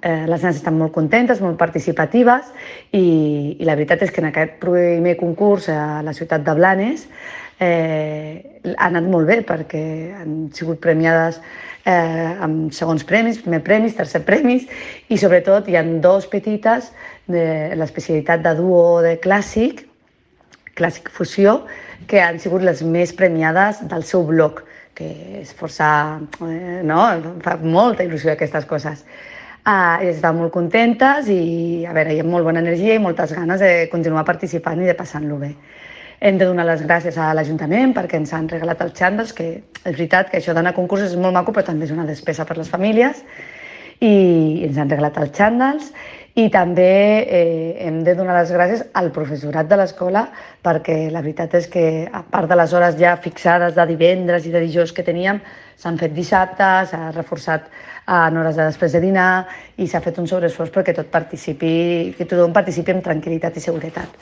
Les nenes estan molt contentes, molt participatives i la veritat és que en aquest primer concurs a la ciutat de Blanes ha anat molt bé perquè han sigut premiades amb segons premis, primer premis, tercer premis i sobretot hi ha dos petites de l'especialitat de duo de clàssic fusió, que han sigut les més premiades del seu blog, que és força... no? Fa molta il·lusió aquestes coses. Estan molt contentes i a veure, hi ha molt bona energia i moltes ganes de continuar participant i de passar-lo bé. Hem de donar les gràcies a l'Ajuntament perquè ens han regalat els xandalls, que és veritat que això d'anar a concursos és molt maco, però també és una despesa per les famílies, i ens han regalat els xandalls. I també hem de donar les gràcies al professorat de l'escola perquè la veritat és que, a part de les hores ja fixades de divendres i de dijous que teníem, s'han fet dissabte, s'ha reforçat en hores de després de dinar i s'ha fet un sobreesforç perquè tothom participi amb tranquil·litat i seguretat.